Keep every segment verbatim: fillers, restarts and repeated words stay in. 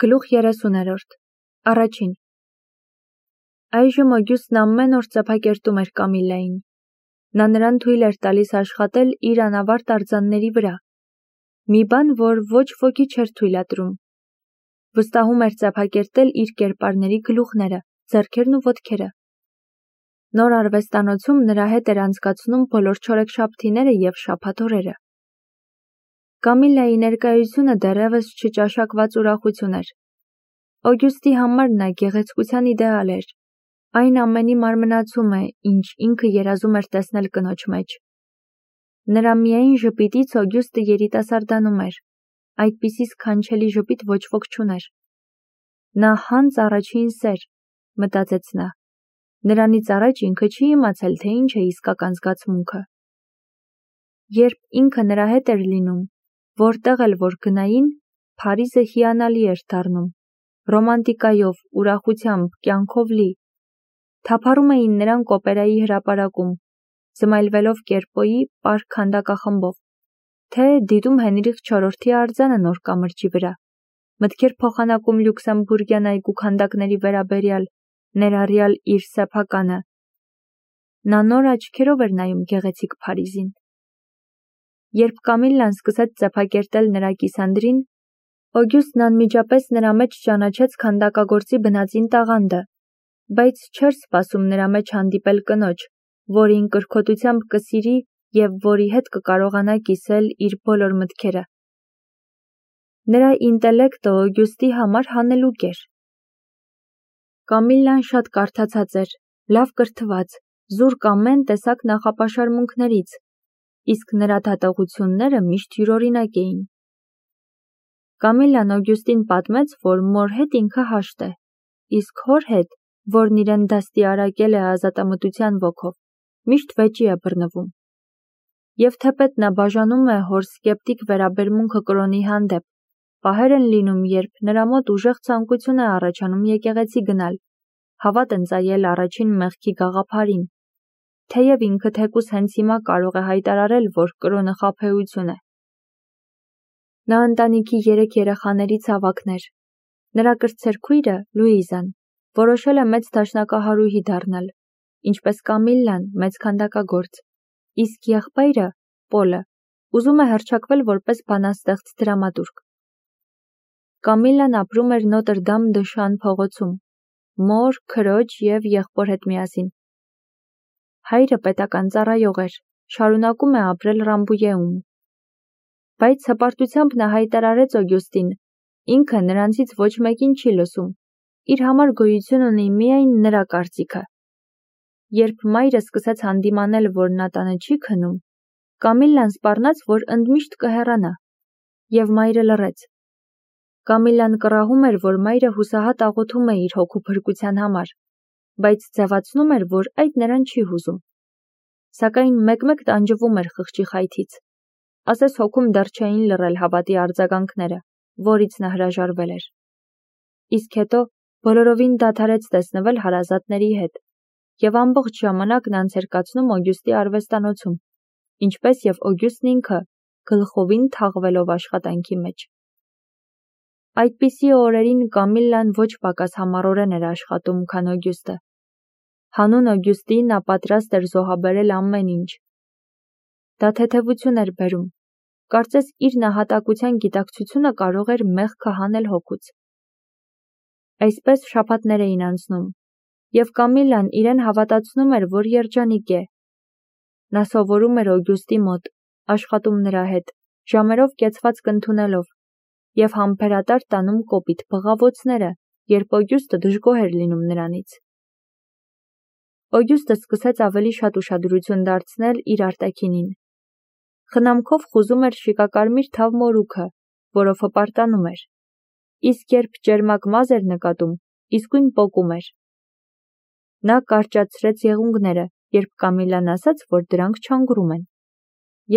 Գլուխ երեսուներորդ Առաջին Այժմ Օգյուստն ամեն օր ծափակերտում էր Կամիլլային. նա նրան թույլ էր տալիս աշխատել իր անավարտ արձանների վրա, մի բան, որ ոչ ոքի չէր թույլատրում, վստահում էր ծափակերտել իր կերպարների գլուխները, ձեռքերն ու ոտքերը։ Նոր արվեստանոցում նրա հետ էր անցկացնում բոլոր չորեքշաբթիները և շաբաթօրերը։ Կամիլլայի ներկայությունը դեռևս չճաշակված ուրախություն էր։ Օգյուստի համար նա գեղեցկության իդեալ էր, այն ամենի մարմնացում է, ինչ ինքը երազում էր տեսնել կնոջ մեջ։ Նրա միայն ժպիտից Օգյուստը երիտասարդանում էր, այդպիսի սքանչելի ժպիտ ոչ ոք չուներ։ Նա հանց առաջին սեր, մտածեց նա, նրանից առաջ ինքը չի իմացել, թե ինչ է իսկական զգացմունքը։ Երբ ինքը նրա հետ էր լինում, որտեղ էլ որ գնային, Փարիզը հիանալի էր դառնում, ռոմանտիկայով, ուրախությամբ, կյանքով լի։ Թափառում էին նրանք օպերայի հրապարակում, զմայլվելով Կերպոյի պարկ քանդակախմբով, թե դիտում Հենրիխ չորրորդի արձանը նոր կամրջի վրա, մտքեր փոխանակում Լյուքսեմբուրգյան այգու քանդակների վերաբերյալ, ներառյալ իր սեփականը։ Նա նոր աչքերով էր նայում գեղեցիկ Փարիզին։ Երբ Կամիլլան սկսեց ծափակերտել նրա կիսանդրին, Օգյուստն անմիջապես նրա մեջ ճանաչեց քանդակագործի բնածին տաղանդը, բայց չէր սպասում նրա մեջ հանդիպել կնոջ, որին կրքոտությամբ կսիրի և որի հետ կկարողանա կիսել իր բոլոր մտքերը։ Նրա ինտելեկտը Օգյուստի համար հանելուկ էր։ Կամիլլան շատ կարդացած էր, լավ կրթված, զուրկ ամեն տեսակ նախապաշարմունքներից, իսկ նրա դատողությունները միշտ յուրօրինակ էին։ Կամիլլան Օգյուստին պատմեց, որ մոր հետ ինքը հաշտ է, իսկ հոր հետ, որն իրեն դաստիարակել է ազատամտության ոգով, միշտ վեճի է բռնվում։ Եվ թեպետ նա բաժանում է հոր սկեպտիկ վերաբերմունքը կրոնի հանդեպ, պահեր են լինում, երբ նրա մոտ ուժեղ ցանկություն է առաջանում եկեղեցի գնալ, հավատ ընծայել առաջին մեղքի գաղափարին, թեև ինքը թեկուզ հենց հիմա կարող է հայտարարել, որ կրոնը խաբեություն է։ Նա ընտանիքի երեք երեխաներից ավագն էր։ Նրա կրտսեր քույրը՝ Լուիզան, որոշել է մեծ դաշնակահարուհի դառնալ, ինչպես Կամիլլան, մեծ քանդակագործ, իսկ եղբայրը՝ Պոլը, ուզում է հռչակվել որպես բանաստեղծ դրամատուրգ։ Կամիլլան ապրում էր Նոտր Դամ դը Շան փողոցում, մոր, քրոջ և եղբոր հետ միասին։ Հայրը պետական ծառայող էր, շարունակում է ապրել Ռամբույեում։ Բայց հպարտությամբ նա հայտարարեց Օգյուստին, ինքը նրանցից ոչ մեկին չի լսում, իր համար գոյություն ունի միայն նրա կարծիքը։ Երբ մայրը սկսեց հանդիմանել, որ նա տանը չի քնում, Կամիլլան սպառնաց, որ ընդմիշտ կհեռանա, և մայրը լռեց։ Կամիլլան կռահում էր, որ մայրը հուսահատ աղոթում է իր հոգու փրկության համար, բայց ձևացնում էր, որ այդ նրան չի հուզում։ Սակայն մեկ-մեկ տանջվում էր խղճի խայթից, ասես հոգում դեռ չէին լռել հավատի արձագանքները, որից նա հրաժարվել էր։ Իսկ հետո բոլորովին դադարեց տեսնվել հարազատների հետ, և ամբողջ ժամանակն անց էր կացնում Օգյուստի արվեստանոցում, ինչպես և Օգյուստն ինքը, գլխովին թաղվելով աշխատանքի մեջ։ Այդպիսի օրերին Կամիլլան ոչ պակաս համառորեն էր աշխատում, քան Օգյուստը։ Հանուն Օգյուստի նա պատրաստ էր զոհաբերել ամեն ինչ։ Դա թեթևություն էր բերում, կարծես իր նահատակության գիտակցությունը կարող էր մեղքը հանել հոգուց։ Այսպես շաբաթներ էին անցնում, և Կամիլլան իրեն հավատացնում էր, որ երջանիկ է։ Նա սովորում էր Օգյուստի մոտ, աշխատում նրա հետ, ժամերով կեցված կընդունելով, և համբերատար տանում կոպիտ բղավոցները, երբ Օգյուստը դժգոհ էր լինում նրանից։ Օգյուստը սկսեց ավելի շատ ուշադրություն դարձնել իր արտաքինին։ Խնամքով խուզում էր շիկակարմիր թավ մորուքը, որով հպարտանում էր, իսկ երբ ճերմակ մազ էր նկատում, իսկույն պոկում էր։ Նա կարճացրեց եղունգները, երբ Կամիլլան ասաց, որ դրանք չանգռում են,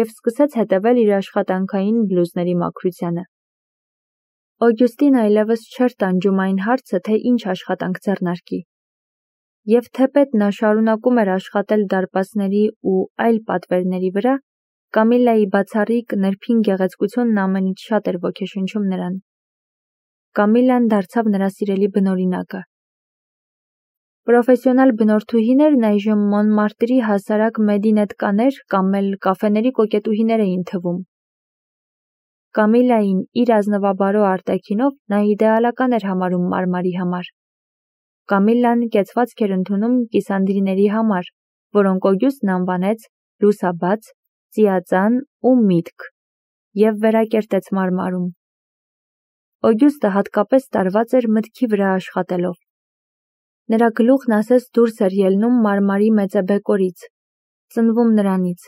և սկսեց հետևել իր աշխատանքային բլուզների մաքրությանը։ Օգյուստին այլևս չէր տանջում այն հարցը, թե ինչ աշխատանք ձեռնարկի։ Եվ թեպետ նա շարունակում էր աշխատել դարպասների ու այլ պատվերների վրա, Կամիլլայի բացառիկ նրբին գեղեցկությունն ամենից շատ էր ոգեշնչում նրան։ Կամիլլան դարձավ նրա սիրելի բնօրինակը։ Պրոֆեսիոնալ բնորդուհիներն այժմ Մոնմարտրի հասարակ մեդինետկաներ կամ էլ կաֆեների կոկետուհիներ էին թվում։ Կամիլլային իր ազնվաբարո արտաքինով նա իդեալական էր համարում Մարմարի համար։ Կամիլլան կեցվածք էր ընդունում կիսանդրիների համար, որոնք Օգյուստն անվանեց լուսաբաց, ծիածան ու միտք, և վերակերտեց Մարմարում։ Օգյուստը հատկապես տարված էր մտքի վրա աշխատելով։ Նրա գլուխն ասես դուրս էր ելնում Մարմարի մեծեբեկորից, ծնվում նրանից։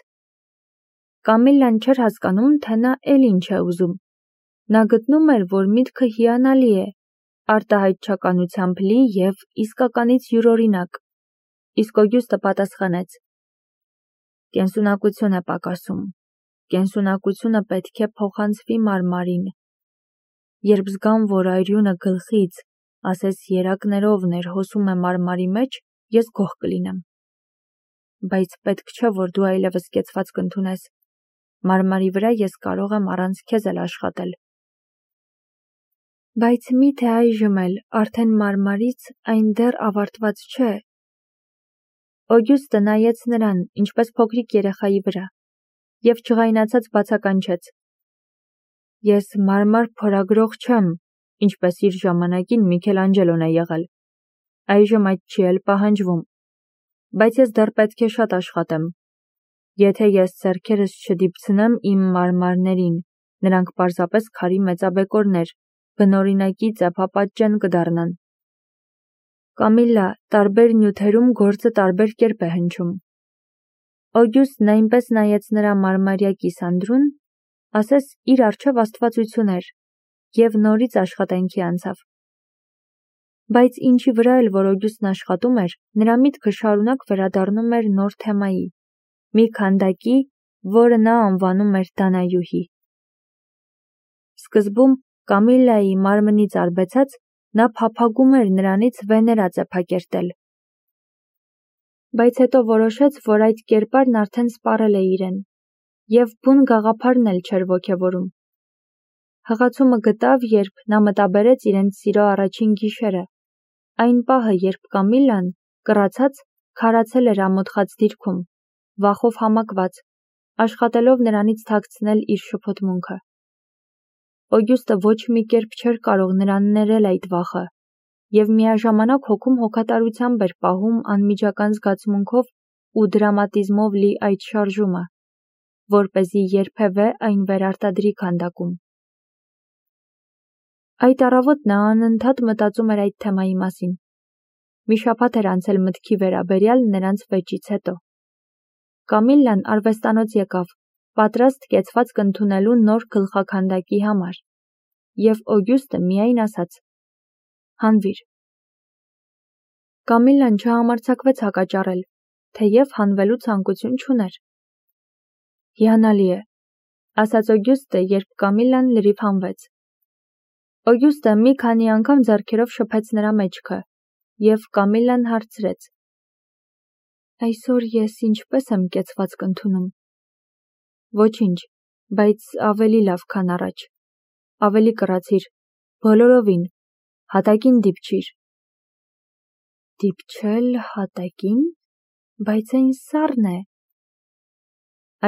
Կամիլլան չէր հասկանում, թե նա էլ ինչ է ուզում։ Նա գտնում էր, որ միտքը հիանալի է, արտահայտչականությամբ լի և իսկականից յուրօրինակ, իսկ Օգյուստը պատասխանեց. «Կենսունակություն է պակասում, կենսունակությունը պետք է փոխանցվի Մարմարին։ Երբ զգամ, որ այրյունը գլխից, ասես երակներով ներհոսում է Մարմարի մեջ, ես գոհ կլինեմ։ Բայց պետք չէ, որ դու այլևս կեցվածք ընդունես։ Մարմարի վրա ես կարող եմ առանց քեզ էլ աշխատել»։ Բայց մի՞թե այժմ էլ արդեն Մարմարից այն դեռ ավարտված չէ։ Օգյուստը նայեց նրան, ինչպես փոքրիկ երեխայի վրա, և ջղայնացած բացականչեց. «Ես մարմար փորագրող չեմ, ինչպես իր ժամանակին Միքելանջելոն է եղել։ Այժմ այդ չի էլ պահանջվում։ Բայց ես դեռ պետք է շատ աշխատեմ։ Եթե ես ձեռքերս չդիպցնեմ իմ մարմարներին, նրանք պարզապես քարի մեծաբեկորներ, բնօրինակի ծեփապատճեն կդառնան»։ Կամիլլա, տարբեր նյութերում գործը տարբեր կերպ է հնչում։ Օգյուստն այնպես նայեց նրա մարմարյա կիսանդրուն, ասես իր առջև աստվածություն էր, և նորից աշխատանքի անցավ։ Բայց ինչի վրա էլ որ Օգյուստն աշխատում էր, նրա միտքը շարունակ վերադառնում էր նոր թեմայի, մի քանդակի, որը նա անվանում էր Դանայուհի։ Սկզբում Կամիլլայի մարմնից արբեցած, նա փափագում էր նրանից Վեներա ծեփակերտել։ Բայց հետո որոշեց, որ այդ կերպարն արդեն սպառել է իրեն, և բուն գաղափարն էլ չէր ոգևորում։ Հղացումը գտավ, երբ նա մտաբերեց իրենց սիրո առաջին գիշերը, այն պահը, երբ Կամիլլան, կռացած, քարացել էր ամոթխած դիրքում, վախով համակված, աշխատելով նրանից թաքցնել իր շփոթմունքը։ Օգյուստը ոչ մի կերպ չէր կարող նրան ներել այդ վախը, և միաժամանակ հոգում հոգատարությամբ էր պահում անմիջական զգացմունքով ու դրամատիզմով լի այդ շարժումը, որպեսզի երբևէ այն վերարտադրի քանդակում։ Այդ առավոտ նա անընդհատ մտածում էր այդ թեմայի մասին։ Մի շաբաթ էր անցել մտքի վերաբերյալ նրանց վեճից հետո։ Կամիլլան արվեստանոց եկավ, պատրաստ կեցվածք ընդունելու նոր գլխաքանդակի համար, և Օգյուստը միայն ասաց. «Հանվիր»։ Կամիլլան չհամարձակվեց հակաճառել, թեև հանվելու ցանկություն չուներ։ «Հիանալի է», ասաց Օգյուստը, երբ Կամիլլան լրիվ հանվեց։ Օգյուստը մի քանի անգամ ձեռքերով շփեց նրա մեջքը, և Կամիլլան հարցրեց. «Այսօր ես ինչպե՞ս եմ կեցվածք ընդունում»։ «Ոչինչ, բայց ավելի լավ, քան առաջ։ Ավելի կռացիր, բոլորովին, հատակին դիպչիր»։ «Դիպչել հատակին, բայց այն սառն է»։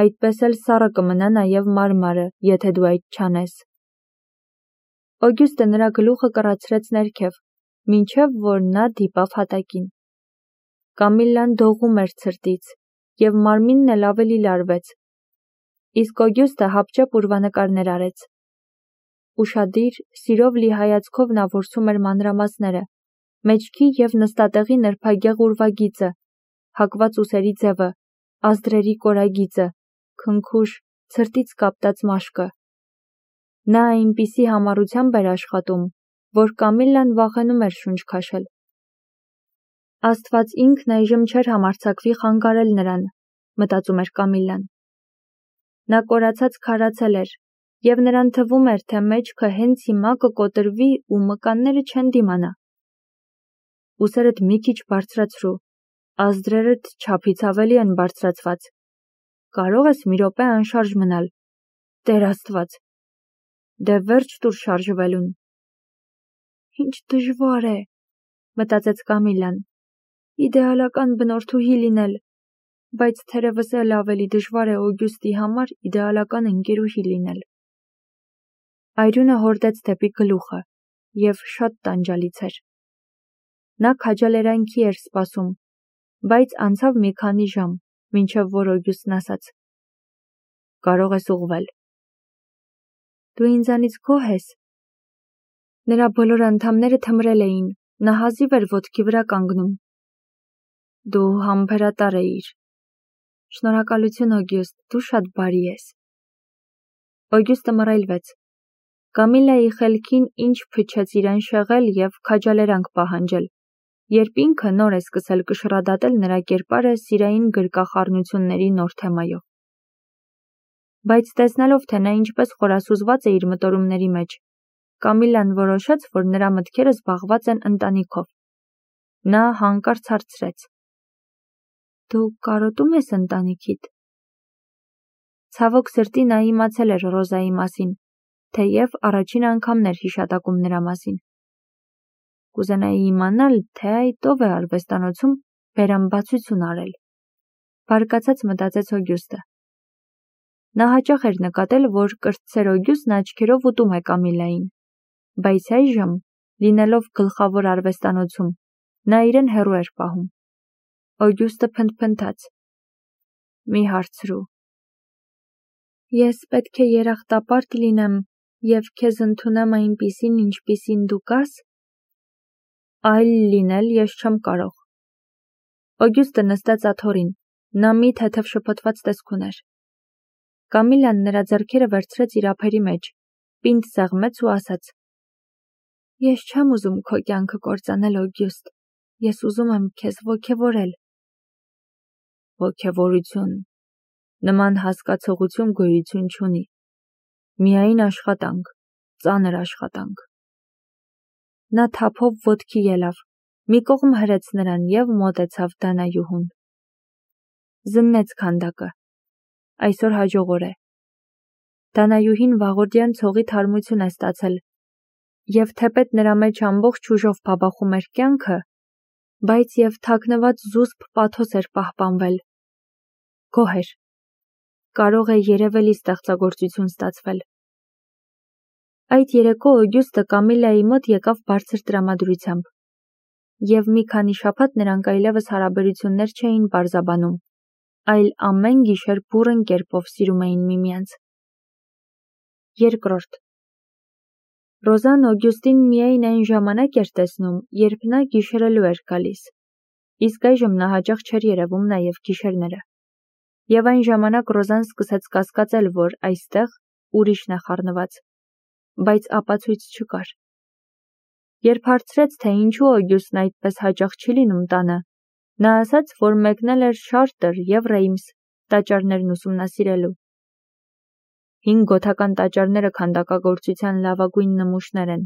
«Այդպես էլ սառը կմնա նաև մարմարը, եթե դու այդ չանես»։ Օգյուստը նրա գլուխը կռացրեց ներքև, մինչև որ նա դիպավ հատակին։ Կամիլլան դողում էր ցրտից, և մարմինն էլ ավելի լարվեց։ Իսկ Օգյուստը հապճեպ ուրվանկարներ արեց։ Ուշադիր, սիրով լի հայացքով նա որսում էր մանրամասները, մեջքի և նստատեղի նրբագեղ ուրվագիծը, հակված ուսերի ձևը, ազդրերի կորագիծը, քնքուշ, ցրտից կապտած մաշկը։ Նա այնպիսի համառությամբ էր աշխատում, որ Կամիլլան վախենում էր շունչ քաշել։ Աստված ինքն այժմ չէր համարձակվի խանգարել նրան, մտածում էր Կամիլլան։ Նա կորացած քարացել էր, և նրան թվում էր, թե մեջքը հենց հիմա կկոտրվի ու մկանները չեն դիմանա։ «Ուսերդ մի քիչ բարձրացրու, ազդրերդ չափից ավելի են բարձրացված։ Կարո՞ղ ես մի րոպե անշարժ մնալ։ Տեր Աստված, դե վերջ տուր շարժվելուն»։ Ինչ դժվար է, մտածեց Կամիլան, իդեալական բնորդուհի լինել, բայց թերևս էլ ավելի դժվար է Օգյուստի համար իդեալական ընկերուհի լինել։ Այրունը հորդեց դեպի գլուխը և շատ տանջալից էր։ Նա քաջալերանքի էր սպասում, բայց անցավ մի քանի ժամ, մինչև որ Օգյուստն ասաց. Կարող ես ուղղվել։ Դու ինձանից գոհ ես։ Նրա բոլոր անդամները թմրել էին, նա հազիվ էր ոտքի վրա կանգնում։ Դու համբերատար էիր։ Շնորհակալություն, Օգյուստ, դու շատ բարի ես։ Օգյուստը մռայլվեց։ Կամիլայի խելքին ինչ փչեց իրան շեղել և քաջալերանք պահանջել, երբ ինքը նոր է սկսել կշռադատել նրա կերպարը սիրային գրկախառնությունների նոր թեմայով։ Բայց տեսնելով, թե նա ինչպես խորասուզված է իր մտորումների մեջ, Կամիլան որոշեց, որ նրա մտքերը զբաղված են ընտանիքով։ Նա հանկարծ հարցրեց. Դու կարոտում ես ընտանիքիդ։ Ցավոք սրտի նա իմացել էր Ռոզայի մասին, թեև առաջին անգամն էր հիշատակում նրա մասին։ Կուզենայի իմանալ, թե այդ ով է արվեստանոցում բերամբացություն արել։ Բարկացած մտածեց Օգյուստը։ Նա հաճախ էր նկատել, որ կրտսեր Օգյուստն աչքերով ուտում է Կամիլային, բայց այժմ, լինելով գլխավոր արվեստանոցում, նա իրեն հեռու էր պահում։ Օգյուստը փնթփնթաց. Մի հարցրու։ Ես պետք է երախտապարտ լինեմ և քեզ ընդունեմ այնպիսին, ինչպիսին դու կաս։ Այլ լինել ես չեմ կարող։ Օգյուստը նստեց աթոռին, նա մի թեթև շփոթված տեսք ուներ։ Կամիլան նրա ձեռքերը վերցրեց իր ափերի մեջ, պինդ սեղմեց ու ասաց. Ես չեմ ուզում քո կյանքը կործանել, Օգյուստ, ես ուզում եմ քեզ ոգևորել։ Ոգևորություն։ Նման հասկացողություն գոյություն չունի։ Միայն աշխատանք, ծանր աշխատանք։ Նա թափով ոտքի ելավ, մի կողմ հրեց նրան և մոտեցավ Դանայուհուն։ Զննեց քանդակը։ Այսօր հաջող օր է։ Դանայուհին վաղորդյան ցողի թարմություն է ստացել, և թեպետ նրա մեջ ամբողջ ուժով բաբախում էր կյանքը, բայց և թաքնված զուսպ պաթոս էր պահպանվել։ Գոհ էր։ Կարող է երևելի ստեղծագործություն ստացվել։ Այդ երեկո Օգյուստը Կամիլայի մոտ եկավ բարձր տրամադրությամբ, և մի քանի շաբաթ նրանք այլևս հարաբերություններ չէին պարզաբանում, այլ ամեն գիշեր բուռն կերպով սիրում էին միմյանց։ Երկրորդ. Ռոզան Օգյուստին միայն այն ժամանակ էր տեսնում, երբ նա գիշերելու էր գալիս, իսկ այժմ նա հաճախ չէր երևում նաև գիշերները։ Եվ այն ժամանակ Ռոզան սկսեց կասկածել, որ այստեղ ուրիշն է խառնված, բայց ապացույց չկար։ Երբ հարցրեց, թե ինչու Օգյուստն այդպես հաճախ չի լինում տանը, նա ասաց, որ մեկնել էր Շարտր և Ռեյմս տաճարներն ուսումնասիրելու։ Հին գոթական տաճարները քանդակագործության լավագույն նմուշներ են։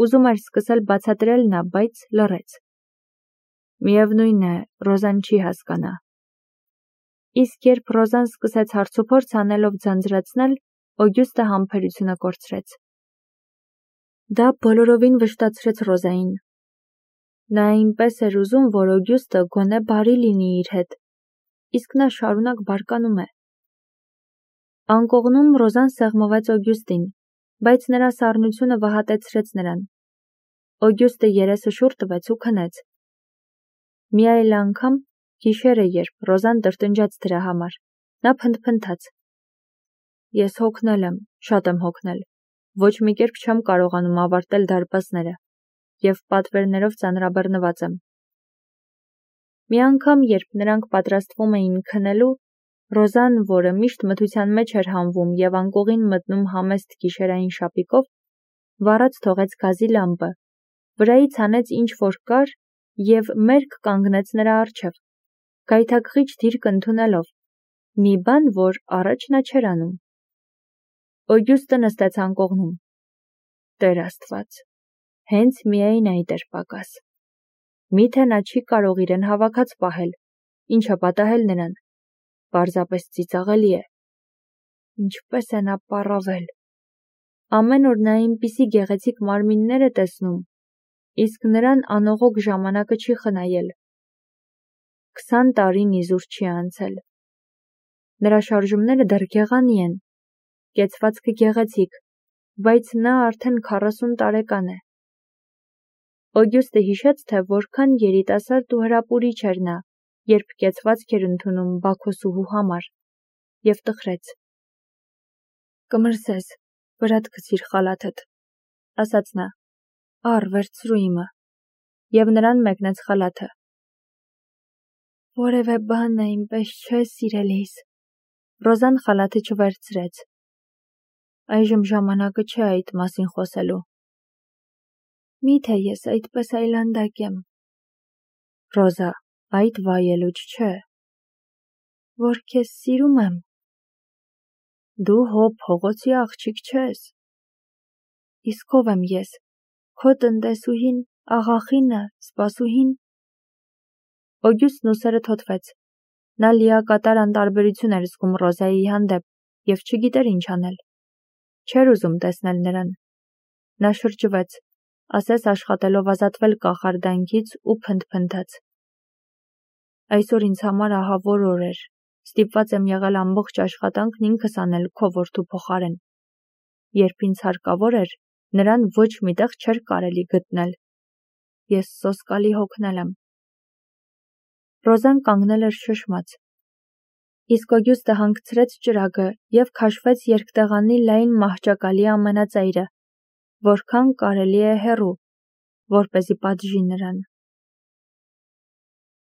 Ուզում էր սկսել բացատրել նա, բայց լռեց։ Միևնույն է, Ռոզան չի հասկանա։ Իսկ երբ Ռոզան սկսեց հարցուփորձ անելով ձանձրացնել, Օգյուստը համբերությունը կորցրեց։ Դա բոլորովին վշտացրեց Ռոզային։ Նա այնպես էր ուզում, որ Օգյուստը գոնե բարի լինի իր հետ, իսկ նա շարունակ բարկանում է։ Անկողնում Ռոզան սեղմվեց Օգյուստին, բայց նրա սառնությունը վհատեցրեց նրան։ Օգյուստը երեսը շուռ տվեց ու քնեց։ Մի այլ անգամ, գիշերը, երբ Ռոզան տրտնջաց դրա համար, նա փնթփնթաց. Ես հոգնել եմ, շատ եմ հոգնել, ոչ մի կերպ չեմ կարողանում ավարտել դարպասները, և պատվերներով ծանրաբեռնված եմ։ Մի անգամ, երբ նրանք պատրաստվում էին քնելու, Ռոզան, որը միշտ մթության մեջ էր հանվում և անկողին մտնում համեստ գիշերային շապիկով, վառած թողեց գազի լամպը, վրայից հանեց ինչ-որ կար և մերկ կանգնեց նրա առջև, գայթակղիչ դիրք ընդունելով, մի բան, որ առաջ նա չէր անում։ Օգյուստը նստեց անկողնում։ Տեր Աստված, հենց միայն այդ էր պակաս։ Միթե նա չի կարող իրեն հավաքած պահել, ինչը պատահել նրան, պարզապես ծիծաղելի է։ Ինչպես է նա պառավել։ Ամեն օր նա այնպիսի գեղեցիկ մարմիններ է տեսնում, իսկ նրան անողոք ժամանակը չի խնայել։ Քսան տարին իզուր չի անցել։ Նրա շարժումները դեռ գեղանի են, կեցվածքը գեղեցիկ, բայց նա արդեն քառասուն տարեկան է։ Օգյուստը հիշեց, թե որքան երիտասարդ ու հրապուրիչ էր նա, երբ կեցվածք էր ընդունում Բաքոսուհու համար, և տխրեց։ «Կմրսես, վրադ գցիր խալաթդ», ասաց նա, «առ, վերցրու իմը», և նրան մեկնեց խալաթը։ «Որևէ բան այնպես չէ, սիրելիս», Ռոզան խալաթը չվերցրեց։ «Այժմ ժամանակը չէ այդ մասին խոսելու»։ «Միթե ես այդպես այլանդակ եմ»։ «Ռոզա, այդ վայելուչ չէ»։ «Որ քեզ սիրում եմ»։ «Դու հո փողոցի աղջիկ չես»։ «Իսկ ով եմ ես, քո տնտեսուհին, աղախինը, սպասուհին»։ Օգյուստն ուսերը թոթվեց։ Նա լիակատար անտարբերություն էր զգում Ռոզայի հանդեպ և չգիտեր ինչ անել։ Չէր ուզում տեսնել նրան։ Նա շրջվեց, ասես աշխատելով ազատվել կախարդանքից ու փնթփնթաց։ «Այսօր ինձ համար ահավոր օր էր, ստիպված եմ եղել ամբողջ աշխատանքն ինքս անել քո որդու փոխարեն։ Երբ ինձ հարկավոր էր, նրան ոչ մի տեղ չէր կարելի գտնել։ Ես սոսկալի հոգնել եմ»։ Ռոզան կանգնել էր շշմած։ Իսկ Օգյուստը հանգցրեց ճրագը և քաշվեց երկտեղանի լայն մահճակալի ամենածայրը, որքան կարելի է հեռու, որպեսզի պատժի նրան։